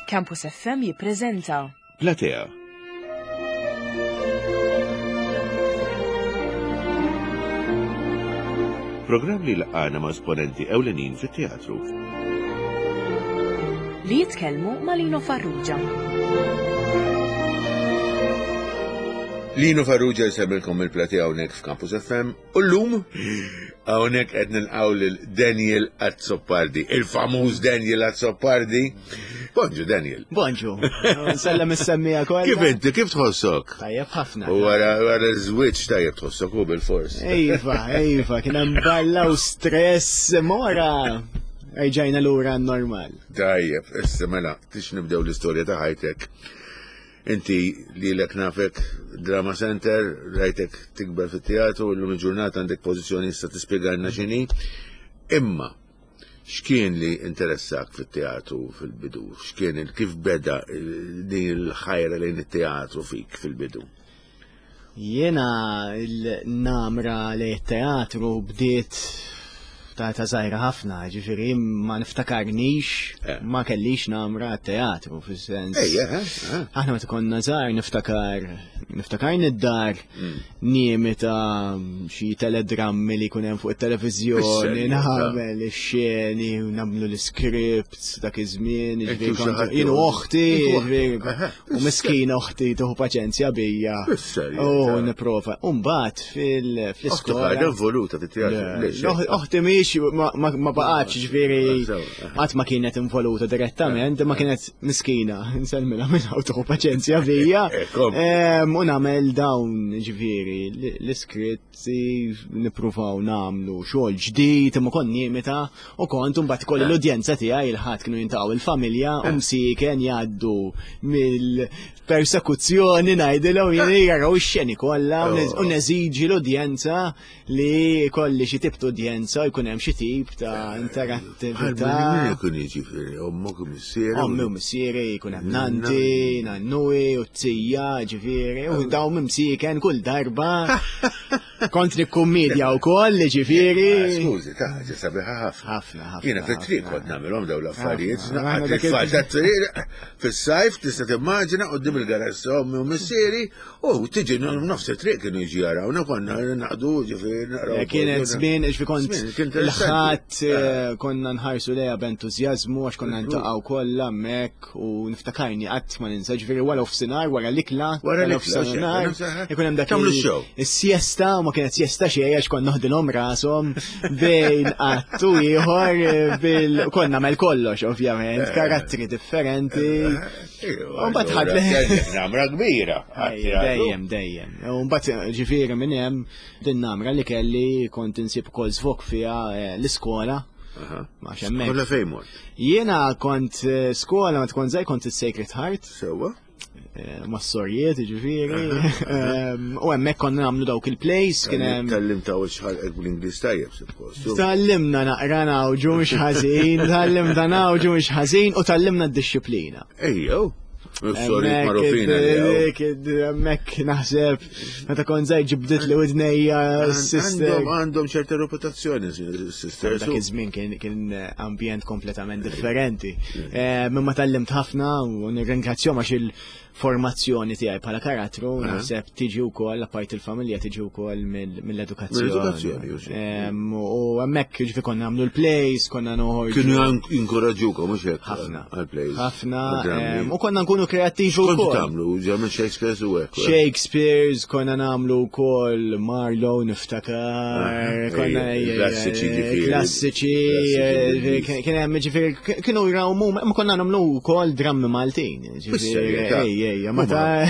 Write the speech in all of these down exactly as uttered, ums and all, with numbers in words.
Campus F M jippreżenta Platea. Programm li jlaqqagħna ma' esponenti ewlenin fit-teatru. Li jitkellmu ma' Lino Farrugia. Lino Farrugia jsellmilkom il-Platea hawnhekk f'Campus F M u llum hawnhekk qed nilqgħu lil Daniel Azzopardi, il-famuż Daniel Azzopardi. Bonġu, Daniel. Bonġu, nsellem is-semmiegħa kollha. Kif inti, kif tħossok? Tajjeb ħafna. U wara wara żwieġ tajjeb tħossok u bil-fors. Iva, iva, kien hemm balla u stress mora. Ejġajna lura normal. Tajjeb, issa mela, tix nibdew l-istorja ta' ħajtek. Inti li lek nafek Drama Center, rajtek tikber fit-teatru, illum il-ġurnata għandek pożizzjoni, issa tispjegalna x'inhi. Imma x'kien li interessak fit-teatru fil-bidu? X'kien il- kif beda il- din il-ħajra lejn it-teatru fik fil-bidu? Jiena il-namra li teatru bdiet ta' ta' żgħira ħafna, ġifieri ma niftakarnix, Eh. ma kellix namra teatru, fis-sens. Ejja, eh, eh. Aħna meta konna żgħar niftakar, niftakar nid-dar nimita xi teledrammi li jkun hemm fuq it-televiżjoni, Bis-serjetà. nagħmel ix-xeni, u nagħmlu l-scripts dak iż-żmien, Inti ġifieri u xi kont- ħadd jien u jew- oħti, Inti u ġifieri, Aha. u miskina oħti tieħu paċenzja bija. Bis-serjetà. U nipprova. U mbagħad fil- Oħtok fl-iskola. għadha involuta fit-teatru. Le, Lix, l- Oħti mhix ma- ma ma baqgħetx, ġifieri Ah, sew, qatt ma kienet involuta direttament, ma kienet miskina, nsellmilha minn hawn, tieħu paċenzja bija. Eh, kom. Em, U nagħmel dawn, ġifieri l-iskritti, nippruvaw nagħmlu xogħol ġdid, imma kont nimita u kont mbagħad kolli l-udjenza tiegħi, il-ħadd kienu jintaqgħu il-familja u msiken jgħaddu mill-persekuzzjoni, ngħidilhom jien, jaraw ix-xeni kollha u nez- u neżiġi l-udjenza li kolli xi tip ta' udjenza, jkun hemm xi tip ta' interattività. Min ikun jiġifieri, ommok u missieri? Ommi u missieri, jkun hemm nanti, nannuwi u t-tija, ġifieri, u daw mimsiken kull darba. Kont nikkummedja u koll, ġifieri. Ah, skużi, ta' ħaġa sabiħa ħafna. Ħafna, ħafna. Jiena fit-triq ħafna. kont nagħmilhom dawn l-affarijiet, Ħafna. naqqat Aħna dak il- it-tfal tat-triq fis-sajf, tista' timmaġina, quddiem il-garaxx ommi u missieri, u tiġi nofs it-triq kienu jiġi jarawna, konna naqdu, ġifieri naqraw. Eh, Kienet żmien, ġifi kont Żmien, kien interessanti. il-ħadd eh, konna nħarsu lejha b'entużjażmu għax konna ntaqgħu kollha hemmhekk u niftakarni, qatt ma ninsa, ġifieri wara nofsinhar, wara l-ikla, Wara l-ikla, nofsinhar, xejn, ikun hemm dak tagħmlu il- x-show. Is-siesta, u ma kienet siesta xejn għax konna noħdilhom rashom bejn att u ieħor eh, bil konna nagħmel kollox ovvjament, karattri differenti. Ejwa, U mbagħad ħadd- allura, kellek namra kbira. Ejja, dejjem, dejjem. U mbagħad ġifieri minn hemm din namra li kelli kont insib ukoll żvok fiha eh, l-iskola. Ma hemmhekk. Kolla fejn mort? Jiena kont eh, skola ma tkun żgħir kont is-Sacred Heart, Sewwa? eh, mas-sorijiet ġifieri. Em, U hemmhekk konna nagħmlu dawk il-plays, kien hemm Tgħallimt u xħalqek bl-Ingliż tajjeb, suppost. Tgħallimna naqra nawġu mhux ħażin, tgħallimna nawġu mhux ħażin u tgħallimna d-dixxiplina. Ejjew. Is-sorijiet magħrufin għalihom. Hemmhekk hemmhekk naħseb meta kont żgħir ġibdit li widnejja s-sister. Għandhom għandhom ċerta reputazzjoni, sisters. Dak iż-żmien kien kien ambjent kompletament differenti. Eh, Mimma tgħallimt ħafna u nirringrazzjahom għax il-formazzjoni tiegħi bħala karattru naħseb tiġi wkoll, apart il-familja, tiġi wkoll mill- mill-edukazzjoni. Mill-edukazzjoni, u xi. Em, U hemmhekk ġifi konna nagħmlu l-plays, konna noħorġu. Kienu jinkoraġġukom, mhux hekk? Ħafna. Għal-plays. Ħafna. Għal-drammi. em, U konna nkunu kreattivi Kontu wkoll. tagħmlu, ġemmen Shakespeare u hekk. Shakespeare's, konna nagħmlu wkoll Marlowe, niftakar, konna ej, klassiċi ġifieri. Klassiċi, Klassiċi eh, Ingliż. kien hemm ġifieri kienu jrawmu, ma konna nagħmlu wkoll drammi Maltin, ġifieri, Bis-serjetà. ej, ej, ma ta'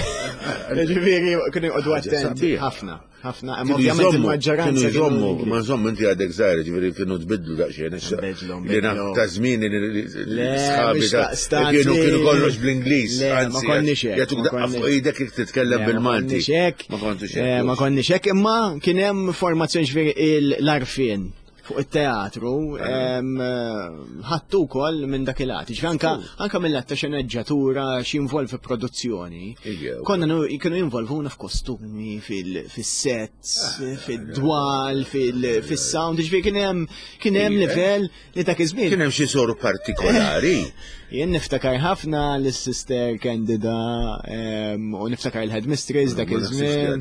ġifieri kienu jqogħdu Ħaġa attenti sabiħa. ħafna, ħafna, imma Kienu ovvjament jżommu, il-maġġoranza kienu jżommu, kienu ma nżommu, inti għadek żgħir, ġifieri kienu tbidlu daqsxejn. issa. Nbidlu, Li naf nbidlu. ta' żmien li Le, sħabi mhux ta' daqstant kienu li- kienu kollox bl-Ingliż. Le, ma anzi, konniex hekk, jagħtuk ma daqqa konniex. fuq idek jekk titkellem Le, ma bil-Malti. konniex hekk. Ma kontux Eh, hekk. Ma konniex hekk, imma kien hemm formazzjoni, ġifieri l-għarfien fuq it-teatru, ħadtu wkoll minn dak il-lat. Ġifieri anka anka mill-lat ta' xeneġġatura x'involvi produzzjoni. Konna kienu jinvolvuna f'kostumi, fis-sets, fid-dwal, fis-sound, ġifieri kien hemm kien hemm livell li dak iż-żmien. Kien hemm xi soru partikolari. Jien niftakar ħafna l-Sister Candida u niftakar il-headmistress dak iż-żmien.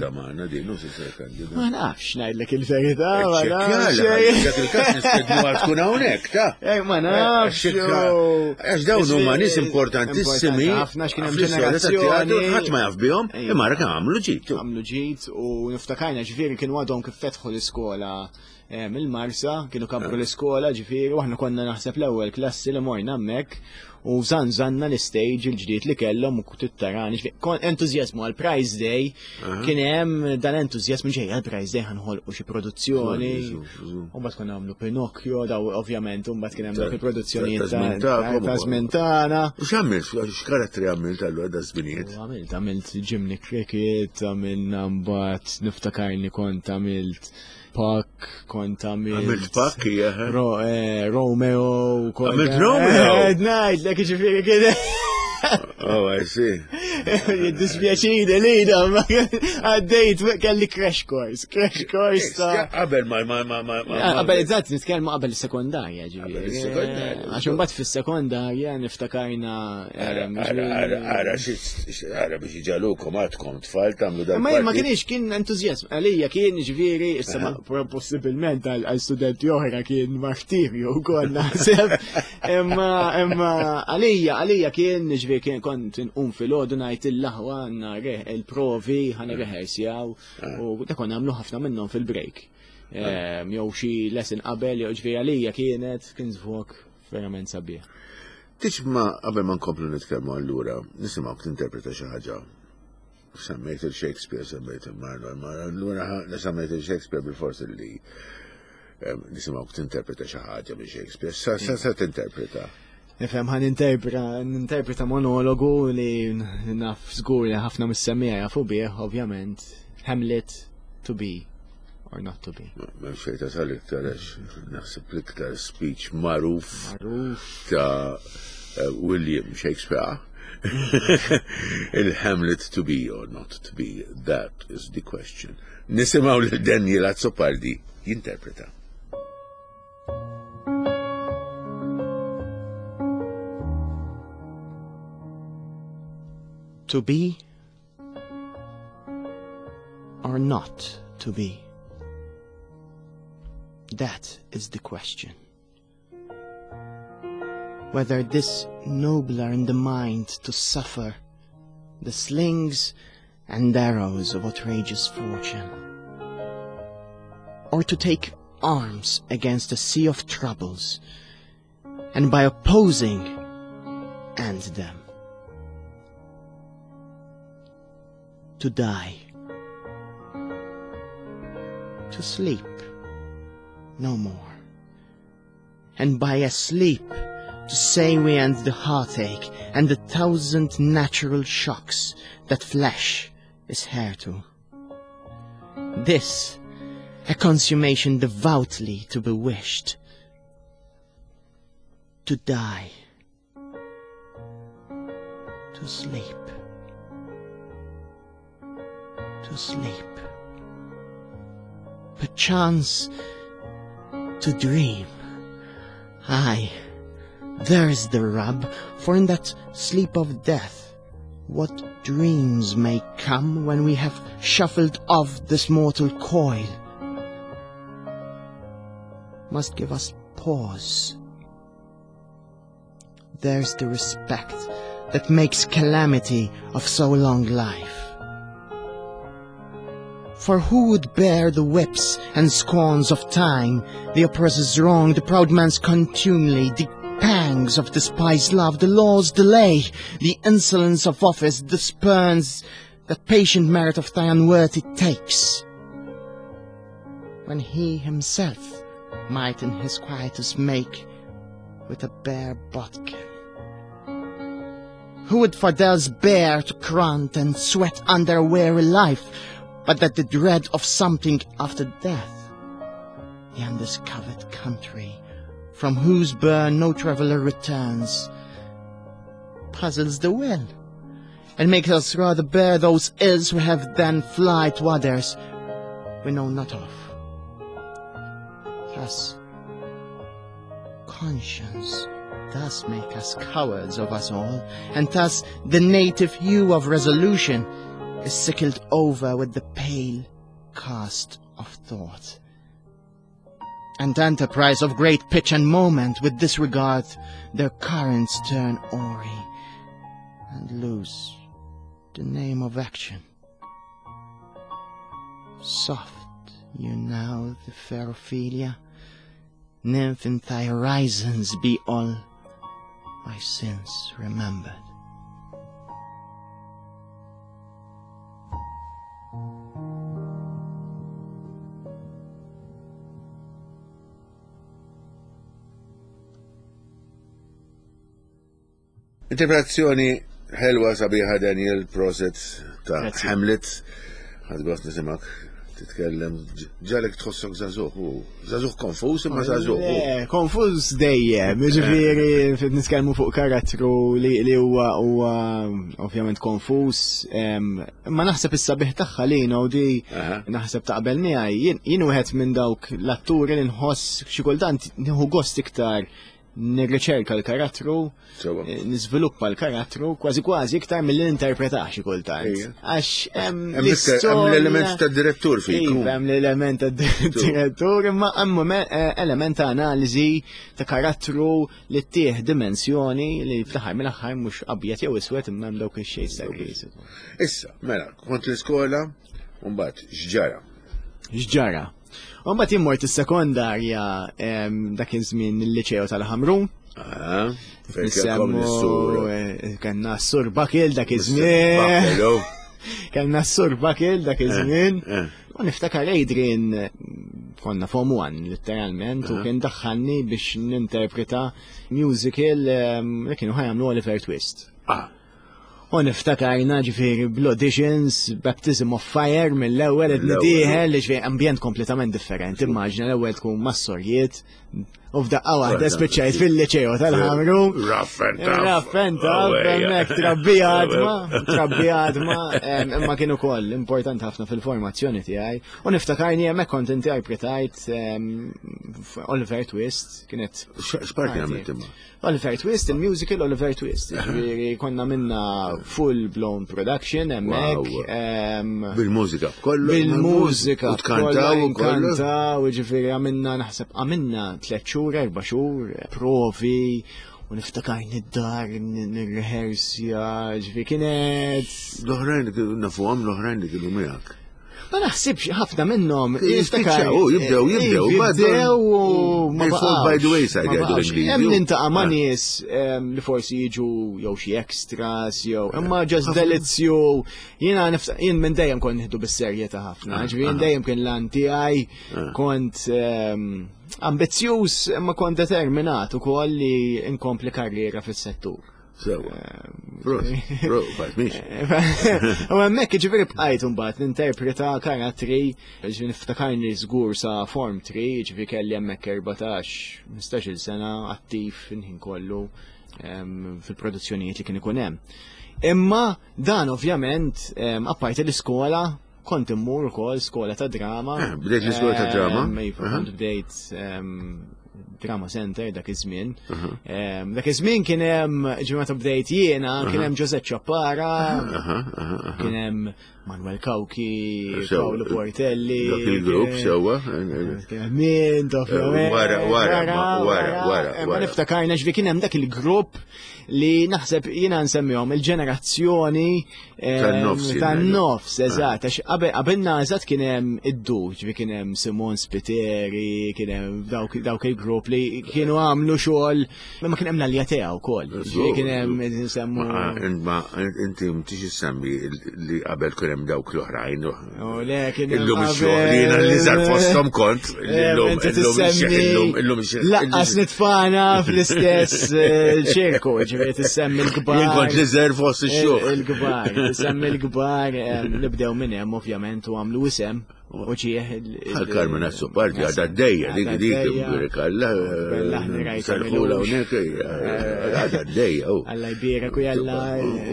Ma nafx ngħidlek il-verità, ma nafx. Dak il-każ nistednu tkun hawnhekk, ta. Ma nafx. Għax dawn huma nies importantissimi. Ħafna x'kien hemm ġenerazzjoni. Ħadd ma jaf bihom, imma ra għamlu ġid. Għamlu ġid u niftakarna ġifieri kienu għadhom kif fetħu l-iskola mill-Marsa, kienu kabru l-iskola ġifieri u aħna konna naħseb l-ewwel klassi li morna hemmhekk u zanzanna l-stage il-ġdid li kellhom u tittarani. Entużjażmu għal Prize Day, kien hemm dan entużjażmu ġej għal Prize Day ħanħolqu xi produzzjoni. U mbagħad konna nagħmlu Pinocchio, daw ovvjament u mbagħad kien hemm dak il-produzzjonijiet ta' żmien tagħna. U x'għamilt? X'karattri għamilt allura da żminijiet? Għamilt, għamilt Jiminy Cricket, għamilna mbagħad niftakarni kont għamilt Puck, kont għamilt. Għamilt Puck, hija. Romeo. Għamilt Romeo? Ngħidlek ġifieri kien. Oh, I see. Jiddispjaċini li da, għaddejt kelli crash course, crash course ta' Qabel ma ma ma ma Qabel eżatt nitkellmu qabel is-sekondarja ġifieri. Għax imbagħad fis-sekondarja niftakarna. Ara ara ara biex iġalukom għadkom tfal tagħmlu dan. Ma ma kienx kien entużjażm għalija kien ġifieri issa possibilment għal studenti oħra kien martirju wkoll naħseb. Imma imma għalija għalija kien ġifieri kien kont nqum filgħodu ngħid il-laħwa għandna il-provi ħa nirrehearsjaw u dak konna nagħmlu ħafna minnhom fil-break. Jew xi lesson qabel jew ġifieri għalija kienet kien żvok verament sabiħ. Tix ma qabel ma nkomplu nitkellmu allura nisimgħuk tinterpreta xi ħaġa. Semmejt il-Shakespeare, semmejt il-Marlowe, ma allura semmejt il-Shakespeare bil-fors li nisimgħuk tinterpreta xi ħaġa minn Shakespeare. Sa sa tinterpreta? Nifhem ħan interpreta monologu li naf żgur li ħafna mis-semmiegħa jafu bih, ovvjament, Hamlet, to be or not to be. Ma xejn tasal iktar għax naħseb l-iktar speech magħruf ta' William Shakespeare. Il-Hamlet to be or not to be, that is the question. Nisimgħu lil Daniel Azzopardi jinterpreta. To be or not to be? That is the question. Whether this nobler in the mind to suffer the slings and arrows of outrageous fortune, or to take arms against a sea of troubles, and by opposing end them. To die, to sleep no more, and by a sleep to say we end the heartache and the thousand natural shocks that flesh is heir to. This, a consummation devoutly to be wished. To die, to sleep, to sleep, perchance to dream. Aye, there's the rub, for in that sleep of death, what dreams may come when we have shuffled off this mortal coil must give us pause. There's the respect that makes calamity of so long life. For who would bear the whips and scorns of time, the oppressor's wrong, the proud man's contumely, the pangs of despised love, the law's delay, the insolence of office, the spurns that patient merit of thy unworthy takes, when he himself might in his quietus make with a bare bodkin? Who would for theirs bear to grunt and sweat under a weary life, but that the dread of something after death the undiscovered country, from whose burn no traveller returns, puzzles the will, and makes us rather bear those ills we have than fly to others we know not of. Thus, conscience does make us cowards of us all, and thus the native hue of resolution is sickled over with the pale cast of thought. And enterprise of great pitch and moment with disregard their currents turn awry and lose the name of action. Soft you now the fair Ophelia, nymph in thy horizons be all my sins remembered. Interpretazzjoni ħelwa sabiħa Daniel Proset ta' Grazzi. Hamlet. Ħadt gost nisimak titkellem ġalek tħossok żagħżugħ u żagħżugħ konfuż imma żagħżugħ. u. Le, konfuż dejjem, ġifieri nitkellmu fuq karattru li li huwa huwa ovvjament konfuż, em, imma naħseb is-sabiħ tagħha li u di Aha. naħseb taqbel miegħi, jien jien wieħed minn dawk l-atturi li nħoss xi kultant nieħu gost iktar nirriċerka l-karattru, Sewwa. eh, niżviluppa l-karattru kważi kważi iktar milli ninterpretax xi kultant. Ejja. Għax hemm Hemm iktar- hemm l-element l-istorja- tad-direttur fik. Iva, hemm l-element ta' direttur, imma hemm eh, element ta' analiżi ta' karattru li ttieħ dimensjoni li fl-aħħar mill-aħħar mhux abjad jew iswed imma hemm dawk ix-xejn ta' gris. Issa, mela, kont l-iskola, u mbagħad x'ġara. X'ġara? U mbagħad jien mort is-sekondarja em, dak iż-żmien il-liċeo tal-Ħamrun. Ah, fejn kellkom Nisemmu l-sur. eh, kellna s-sur Bakil dak iż-żmien. Bakelo. Kellna s-sur Bakil dak iż-żmien. Eh, U niftakar Adrian eh, konna form one literalment u kien daħħalni biex ninterpreta musical ehm, li kienu ħa jagħmlu Oliver Twist. Ah, U niftakarna ġifieri bl-auditions, Baptism of Fire mill-ewwel qed Mill-ewwel. nidieħel ġifieri ambjent kompletament differenti. Immaġina l-ewwel tkun mas-sorjiet u f'daqqa waħda spiċċajt fil-liċeo tal-Ħamru. Rough and tough. Rough and tough, Oh, ejja. hemmhekk trabbi għadma, trabbi għadma, em, imma kien ukoll importanti ħafna fil-formazzjoni tiegħi. U niftakarni hemmhekk kont interpretajt em, Oliver Twist, kienet X- X'parti għamilt imma? Oliver Twist, il-musical Oliver Twist. Ġifieri konna minna full blown production hemmhekk. Wow. em, Bil-mużika, kollu. Bil-mużika, U tkantaw u kollu. Kantaw, ġifieri għamilna naħseb għamilna tliet xhur, erba' xhur, provi, u niftakarni d-dar, nirrehersja, ġifieri kienet. L-oħrajn li kienu nafuhom, l-oħrajn li kienu miegħek. Ma naħsibx ħafna minnhom. Jispiċċaw, u jibdew, jibdew, Jibdew u ma They fall by the baqgħux, wayside, ma jgħidu baqgħux. l-Ingliżi. Hemm nintaqa' ma' Ah. nies em, li forsi jiġu jew xi extras jew imma just delizzju. Jiena nifta- jien minn dejjem kont nieħdu bis-serjetà ħafna. Ah, Ġifieri jien dejjem kien lan tiegħi kont em, ambizzjuż imma kont determinat ukoll li nkompli karriera fis-settur. Sewa. Prost, prost, fat, miex. U hemmhekk ġifieri bqajt imbagħad ninterpreta karattri, ġifieri niftakarni żgur sa Form three, ġifieri kelli hemmhekk erbatax, ħmistax-il sena attiv il-ħin kollu em, fil-produzzjonijiet li kien ikun hemm. Imma dan ovvjament, em, apparti l-iskola, kont immur ukoll skola ta' drama. Ah, bdejt l-iskola ta' drama? Em, Iva, Aha. kont bdejt em, Drama Center dak iż-żmien. Em, Dak iż-żmien kien hemm ġimgħa meta bdejt jiena, kien hemm Josette Ciappara, Aha, aha, aha. kien hemm Manuel Cauchi, Sewa. Paolo Portelli. Dak il-grupp, kien- sewa. Kien hemm Mint, ovvjament. Wara, wara, ma- wara, wara, Ma wara. niftakarna ġvi kien hemm dak il-grupp li naħseb jiena nsemmihom il-ġenerazzjoni em, Tan-nofs, jien Tan-nofs, eżatt, għax qabel qabilna eżatt kien hemm id-du, ġvi kien hemm Simon Spiteri, kien hemm dawk dawk il-grupp li kienu għamlu xogħol, imma kien hemm l-Aljatea wkoll. Ġifieri kien hemm nsemmu Ma ma inti mtix issemmi li qabel kien hemm dawk l-oħrajn. Oh, le, kien hemm Illum qabel- ix-xogħol, jiena li żar fosthom kont, illum Eh, inti illum ix-xeħ, tissemmi- illum illum ix-xeħ. Laqqas nitfana fl-istess eh, ċirku, ġifieri tissemmi l-kbar. Jien kont li żar fost ix-xogħol. Il-kbar, tissemmi l-kbar, eh, nibdew minn hemm ovvjament u għamlu isem Uġieħ il- Bħal Carmen Azzopardi għadha d-dejja, dik dik birikalla, sarħula hawnhekk, għadha d-dejja. u. Alla jbierek u jalla.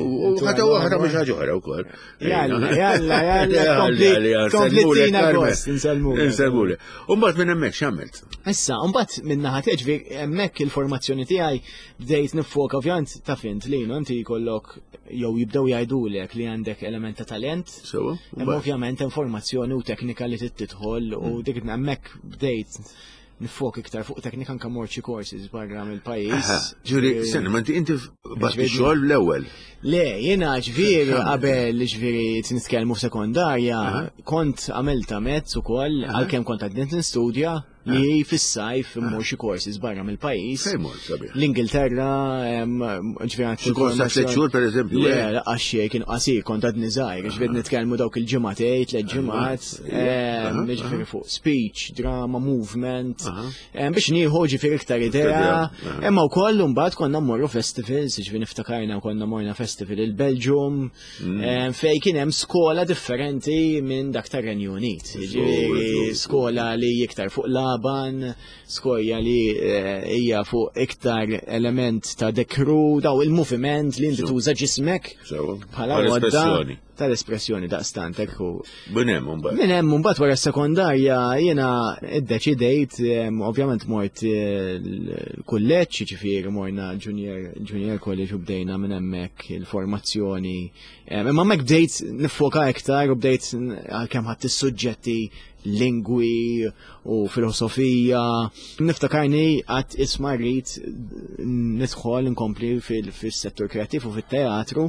U ħata waħda mhux ħaġa oħra wkoll. Jalla, jalla, jalla, kompli- kompli tina gost, insellmulek. Insellmulek. U mbagħad minn hemmhekk x'għamilt? Issa, mbagħad minn naħa tiegħi ġifieri hemmhekk il-formazzjoni tiegħi bdejt nifoka ovvjament ta' fint li inti jkollok jew jibdew jgħidulek li għandek element ta' talent. Sewa? Imma ovvjament hemm formazzjoni u teknika li trid tidħol u dik hemmhekk bdejt nifok iktar fuq teknika anke mort xi courses barra mill-pajjiż. Ġifieri, senna, ma inti inti batti xogħol l-ewwel. Le, jiena ġifieri qabel ġifieri nitkellmu f'sekondarja, kont għamilta mezz ukoll għalkemm kont għadni nistudja li fis-sajf immur xi courses barra mill-pajjiż. Fejn mort sabiħ? L-Ingilterra, em, ġifieri għand Xi kors ta' tliet xhur pereżempju? Le, eh? laqqas xejn kien qasir, kont għadni żgħir, ġifieri nitkellmu dawk il-ġimgħatej, tliet ġimgħat, em, ġifieri fuq speech, drama, movement, em, biex nieħu ġifieri iktar idea. idea, aha. Imma wkoll imbagħad konna mmorru festivals, ġifieri niftakarna konna morna festival il-Belġium, em, fej kien hemm skola differenti minn dak tar-Renju Unit. Ġifieri skola li iktar fuq Laban, skola li eh, hija fuq iktar element ta' dekru, daw il-moviment li inti tuża ġismek Sewa. bħala għodda Tal-espressjoni. tal-espressjoni daqstant ekku. Minn hemm mbagħad. Minn hemm mbagħad wara s-sekondarja jiena iddeċidejt, em, ovvjament mort eh, l-kulleġġ, jiġifieri morna junior junior college u bdejna minn hemmhekk il-formazzjoni. Em, Imma hemmhekk bdejt nifoka iktar u bdejt n- għalkemm ħadd is-suġġetti lingwi u filosofija. Niftakarni għat isma rrid nidħol nkompli fil- fis-settur kreattiv u fit-teatru.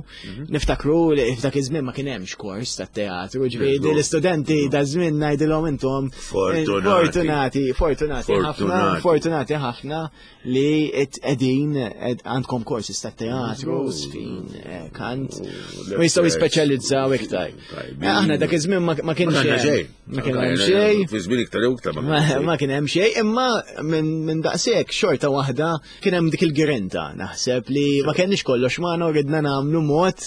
Niftakru li f'dak iż-żmien ma kien hemmx kors tat-teatru, ġifieri Veru. l-istudenti da żmien ngħidilhom intom Fortunati. fortunati, fortunati ħafna, Fortunati. fortunati ħafna li qegħdin ed- għandkom courses tat-teatru, sfin, eh, kant, u jistgħu jispeċjalizzaw iktar. Tajbin. Eh, Aħna dak iż-żmien ma ma kienx Ma hemm. xejn. Ma kien hemm xejn. Fi żmien iktar jew iktar ma Ma kien xejn. ma kien hemm xejn, imma minn min daqshekk xorta waħda kien hemm dik il-grinta naħseb li ma kenniex kollox magħna u ridna nagħmlu mod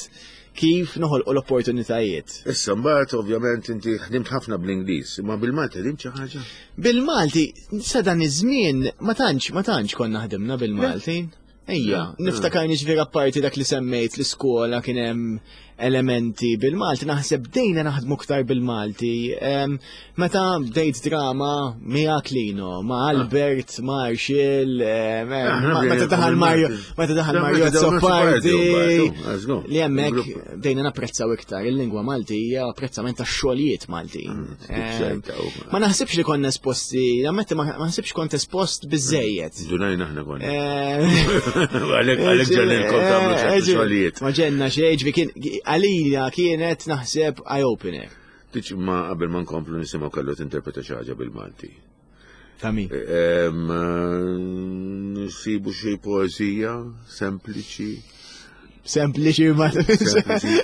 kif noħolqu l-opportunitajiet. Issa mbagħad ovvjament inti ħdimt ħafna bl-Ingliż, imma bil-Malti ħdimt xi ħaġa? Bil-Malti, sa dan iż-żmien ma tantx ma tantx konna ħdimna bil-Malti. Ejja, niftakarni ġifieri apparti dak li semmejt l-iskola kien hemm elementi bil-Malti, naħseb bdejna naħdmu ktar bil-Malti. Em, Meta bdejt drama miegħek Lino, ma' Albert, ma' Arxil, em, em, Aħna ma- meta bdejna daħal Mario, bil-Malti. meta daħal Da, Mario meta daħal Azzopardi, Azzopardi, għażlu. li hemmhekk Grupp. bdejna napprezzaw iktar il-lingwa Maltija, apprezzament tax-xogħlijiet Maltin. Em, xejta, u- Ma naħsibx li konna esposti, nammetti ma ma naħsibx kont espost biżejjed. Dunajna aħna konna. Eh, Għalek għalek ġenilkom tagħmlu ċertu xogħlijiet. Ma ġenna xejn, ġifieri kien għalija kienet naħseb eye-opener. Tiċ ma qabel ma nkomplu nisimgħu kellu tinterpreta xi ħaġa bil-Malti. Ta' min? Em, eh, Nsibu xi poeżija sempliċi. Sempliċi ma. Sempliċi.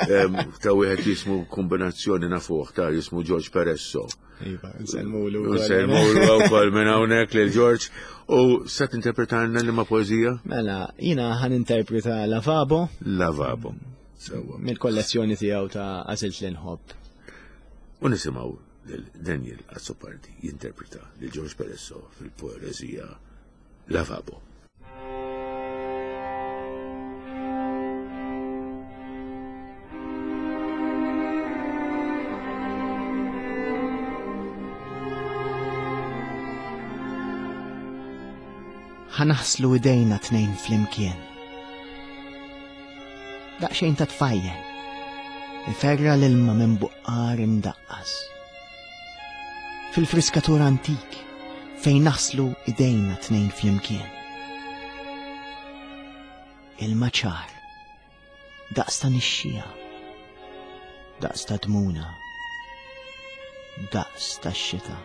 Em, Ta' wieħed jismu kombinazzjoni nafuh ta' jismu George Peresso. Iva, nsellmulu. Nsellmulu wkoll minn hawnhekk lil George. U sa tinterpretalna li ma poeżija? Mela, jina ħan interpreta Lavabo Lavabo. Sewwa. mill-kollezzjoni tiegħu ta' Għażilt li nħobb. U nisimgħu lil Daniel Azzopardi jinterpreta lil George Peresso fil-poeżija Lavabo. Ħanaħslu idejna tnejn flimkien. Daqsxejn ta' tfajjel. Iferra l-ilma minn buqqar imdaqqas. Fil-friskatur antik fejn naħslu idejna tnejn flimkien. Ilma ċar. Daqs ta' nixxija. Daqs ta' dmuna. Daqs ta' xita.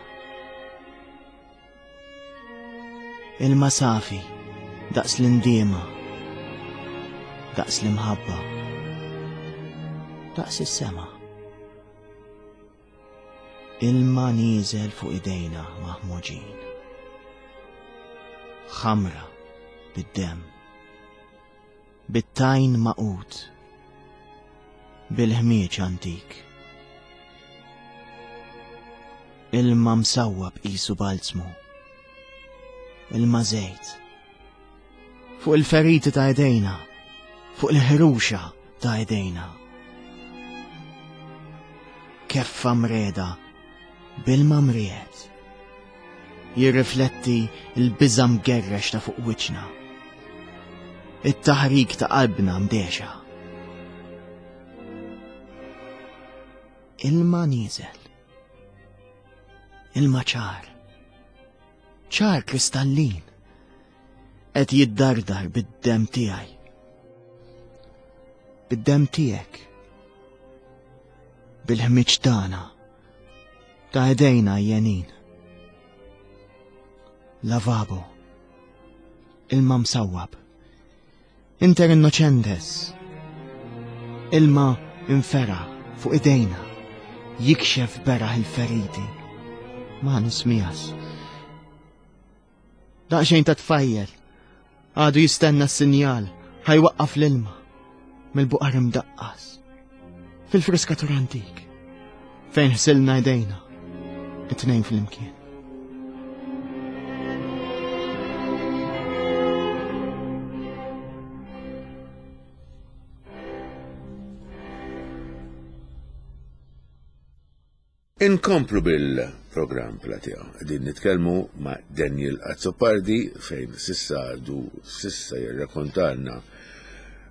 Ilma safi, daqs l-indiema, daqs l-imħabba, daqs is-sema. Ilma nieżel fuq idejna maħmuġin. Ħamra bid-dem, bit-tajn maqut, bil-ħmieġ antik. Ilma msawwab qisu balzmu. Ilma żejt. Fuq il-feriti ta' idejna, fuq il-ħruxa ta' idejna. Keffa mreda, bilma mriet. Jirrifletti l-biża' mgerrex ta' fuq wiċċna. It-taħrik ta' qalbna mdexa. Ilma nieżel. Ilma ċar. Ċar kristallin. Qed jiddardar bid-demm tiegħi. Bid-demm tiegħek. Bil-ħmiġ tagħna. Ta' idejna jenin. Lavabo. Ilma msawwab. Inter innocentes. Ilma infera fuq idejna. Jikxef beraħ il-feriti. Ma nismijas. Daqxejn ta' tfajjel. Għadu jistenna s-sinjal. Ħajwaqqaf l-ilma. Mill-buqar imdaqqas. Fil-friskatur antik. Fejn ħsilna idejna. It-tnejn fl-imkien. Inkomplu bil-programm Platea. Qegħdin nitkellmu ma' Daniel Azzopardi fejn sissa għadu sissa jirrakontalna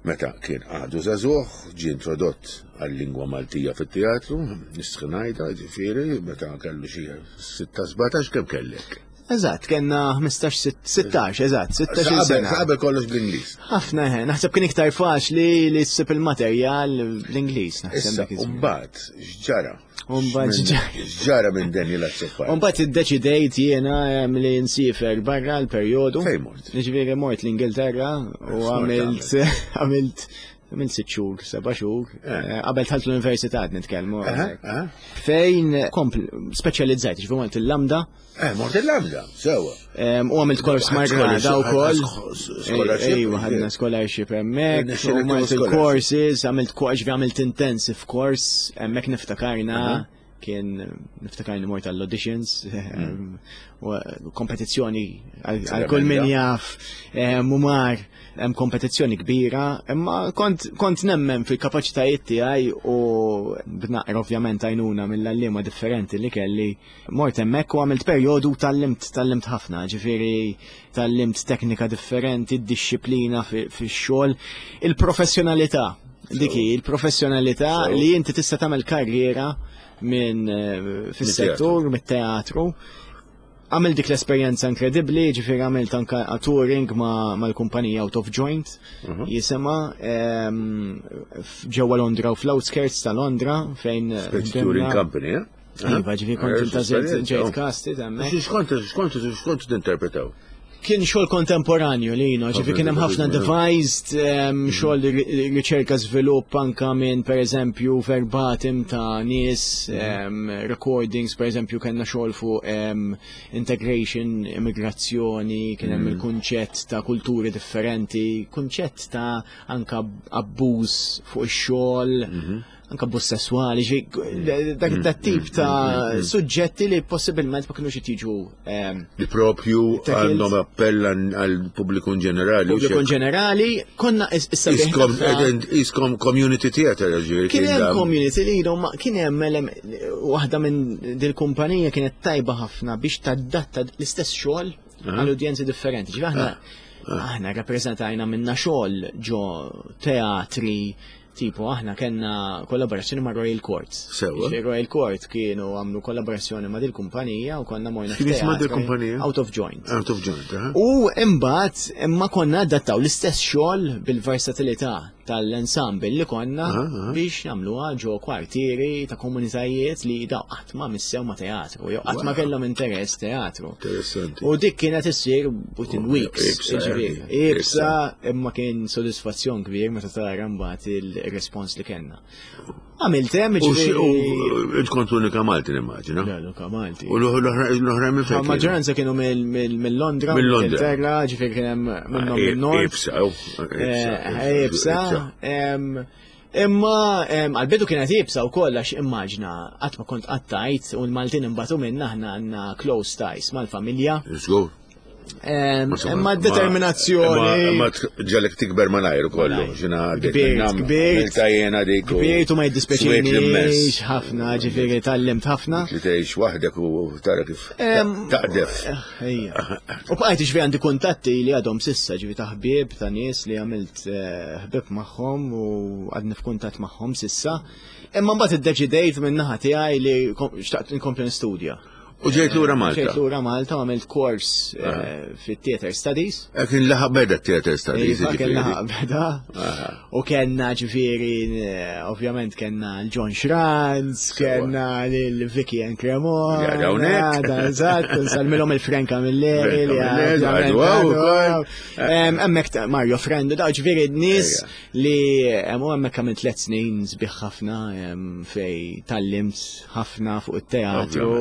meta kien għadu żagħżugħ, ġie introdott għal-lingwa Maltija fit-teatru, nistħi ngħidha, ġifieri, meta kellu xi sitta sbatax kemm kellek? Eżatt, kellna ħmistax, sittax, eżatt, sittax-il sena. Qabel kollox bl-Ingliż. Ħafna, eh, naħseb kien iktar faċli li ssib il-materjal bl-Ingliż, naħseb Issa, dak iż-żmien. Umbagħad, x'ġara? U mbagħad x'ġara? X'ġara minn Daniel Azzopardi? U mbagħad iddeċidejt jiena, em, li nsifer barra l-perjodu. Fejn mort? Jiġifieri mort l-Ingilterra u X'mort għamilt għamilt għamilt sitt xhur, seba' xhur. Eh. Eh, qabel dħalt l-università qed nitkellmu. Aha, aha. Fejn kompl speċjalizzajt, ġifieri mort il-Lambda. Eh, mort il-Lambda, sewa. Em, u għamilt kors margrada u koll. Scholarship. Ejwa, ħadna scholarship hemmhekk, Nixxilek u mort scholarship. il-courses, għamilt ko-, ġifieri għamilt intensive course, hemmhekk niftakarna, kien niftakarni mort għall-auditions, Mm. u kompetizzjoni għal għal kull min jaf, em, u mar, hemm kompetizzjoni kbira, imma kont, kont nemmen fil-kapaċitajiet tiegħi u b'naqra ovvjament għajnuna mill-għalliema differenti li kelli. Mort hemmhekk u għamilt perjodu tgħallimt, tgħallimt ħafna, ġifieri tgħallimt teknika differenti, d-disciplina fi-, fix-xogħol, il-professjonalità. Dik hi, il-professjonalità So. li inti tista' tagħmel karriera minn, eh, fis-settur, mit-teatru. Għamil dik l-esperjenza inkredibbli, ġifieri għamilt anka touring ma-, mal-kumpanija Out of Joint, Mhm. jisema, ehm, f-, ġewwa Londra u fl-outskirts ta' Londra, fejn Speċi bdejna touring company, eh? Iva, ġifieri kont Eh, intażilt esperjenza, ġejt oh. casted hemmhekk. X'kont, x'kont, x'kont tinterpretaw? Kien xogħol kontemporanju li jino, ġifieri kien hemm ħafna devised, ehm, xogħol ri-, riċerka żvilupp anka minn pereżempju verbatim ta' nies, ehm, recordings, pereżempju kellna xogħol fuq, ehm, integration, immigrazzjoni, kien hemm il-kunċett ta' kulturi differenti, kunċett ta' anka abbuż fuq ix-xogħol, anka abbuż sesswali, ġifieri dak dat tip ta' suġġetti li possibilment ma kinux jiġu, ehm, Li propju Tackled. għandhom appell għal-, għal-pubbliku in ġenerali, u Pubbliku in xek. ġenerali, konna is-, issa biex Iskom, nafra- ed-, iskom community theater, ġifieri, Kien kien hemm dam- community li jidhom ma kien hemm elem-, waħda minn dil-kumpanija kienet tajba ħafna biex tadatta l-istess xogħol għal udjenzi differenti. Ġifieri aħna aħna rappreżentajna minna xogħol ġo teatri, tipo aħna kellna kollaborazzjoni ma' Royal Court. Sewa. Ġifieri Royal Court kienu għamlu kollaborazzjoni ma' dil-kumpanija u konna morna Kien jisma' f'teatru. dil-kumpanija? Out of Joint. Out of Joint, aha. U imbagħad imma konna adattaw l-istess xogħol bil-versatilità tal-ensemble li konna Aha, aha. biex nagħmluha ġo kwartieri ta' komunitajiet li daw qatt ma missew ma' teatru, jew qatt ma Wow. kellhom interess teatru. Interessanti. U dik kienet issir within Oh, weeks, ibsa, jiġifieri. eh, Ibsa, imma kien sodisfazzjon kbir meta tara mbagħad il-respons li kellna. Għamilt hemm, U xi- jiġifieri u int kont l-unika Malti nimmaġina. Le, l-unika Malti. U l-oħra l-oħra minn fejn kienu? Maġġoranza kienu mill-, mill-, mill-Londra, Mill-Londra. mill-Ingilterra, ġifieri kien hemm minnhom Eh, min-Nord. Ibsa, oh, ibsa, Eh, ibsa, ibsa, em, Imma għal-bidu kienet iebsa wkoll għax immaġna qatt ma kont qattajt u l-Maltin imbagħtu minna aħna għandna close ties mal-familja. Żgur. Imma determinazzjoni. Ma ġalek tikber malajr kollu. Kbirt, kbirt. Dik. Kbirt u ma jiddispjaċinix ħafna, ġifieri tgħallimt ħafna. Li tgħix waħdek u tara kif taqdef. Ejja. U bqajt ġifieri għandi kuntatti li għadhom sissa ġifieri ta' ħbieb ta' nies li għamilt ħbieb magħhom u għadni f'kuntatt magħhom sissa. Imma mbagħad iddeċidejt min-naħa tiegħi li xtaqt inkompli nistudja. U ġejt lura Malta. Ġejt lura Malta u għamilt kors fit-Theater Studies. Kien laħaq beda Theater Studies. Kien laħaq beda. U kellna ġifieri, ovvjament kellna l-John Schranz, kellna l-Vicky and Cremona. Eżatt, nsalmilhom il-Frank Camilleri. Hemmhekk Mario Frendo, da ġifieri nies li hemm hemmhekk għamilt tliet snin sbieħ ħafna fej tgħallimt ħafna fuq it-teatru.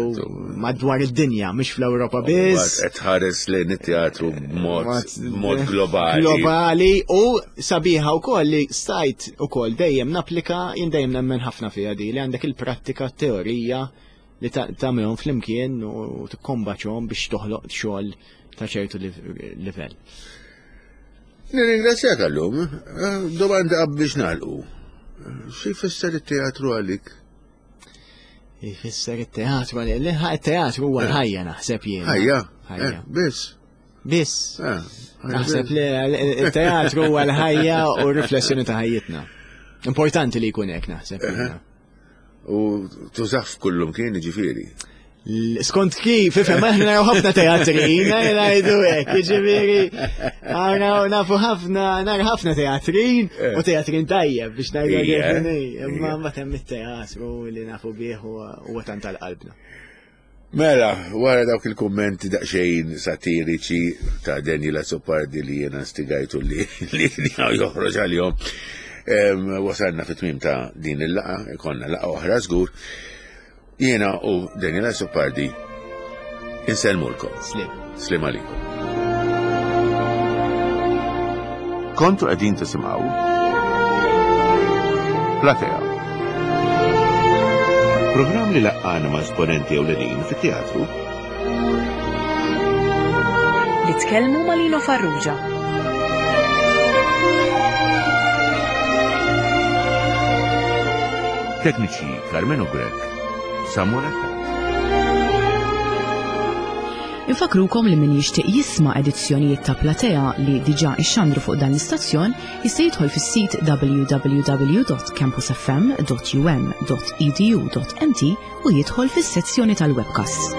Madwar id-dinja, mhux fl-Ewropa biss. Qed tħares lejn it-teatru b'mod globali. Globali u sabiħa wkoll li stajt ukoll dejjem napplika, jien dejjem nemmen ħafna fiha di li għandek il-prattika teorija li tagħmilhom flimkien u tikkombaċhom biex toħloq xogħol ta' ċertu livell. Nirringrazzjak għallum. Domanda biex nagħlqu. Xi jfisser it-teatru għalik? Jfisser it-teatru, il-teatru huwa l-ħajja naħseb jien. Ħajja? Ħajja. Biss. Biss. Naħseb li il-teatru huwa l-ħajja u r-riflessjoni ta' ħajjitna. Importanti li jkun hekk naħseb. U tużaf kullum kien ġifieri. Skont kif, ifhem, aħna naraw ħafna teatrin, ngħidu hekk, jiġifieri naraw nafu ħafna, nara ħafna teatrin u teatrin tajjeb biex ngħidu kif imma mbagħad hemm it-teatru li nafu bih huwa tant tal-qalbna. Mela, wara dawk il-kummenti daqsxejn satiriċi ta' Daniel Azzopardi li jiena stigajtu li li joħroġ għalihom, wasalna fit-tmiem ta' din il-laqgħa, ikollna laqgħa oħra żgur. Jiena u Daniel Azzopardi insellmulkom. Slim. Slim għalikom. Kontu qegħdin tisimgħu Platea. Programm li laqqana ma' esponenti ewlenin fit-teatru. Li tkellmu ma' Lino Farrugia. Tekniċi Carmenu Grech, Samuel Attard. Infakrukom li min jixtieq jisma' edizzjonijiet ta' Platea li diġà ixxandru fuq dan l-istazzjon jista' jidħol fis-sit w w w dot campus f m dot u m dot e d u dot m t u jidħol fis-sezzjoni tal-webcast.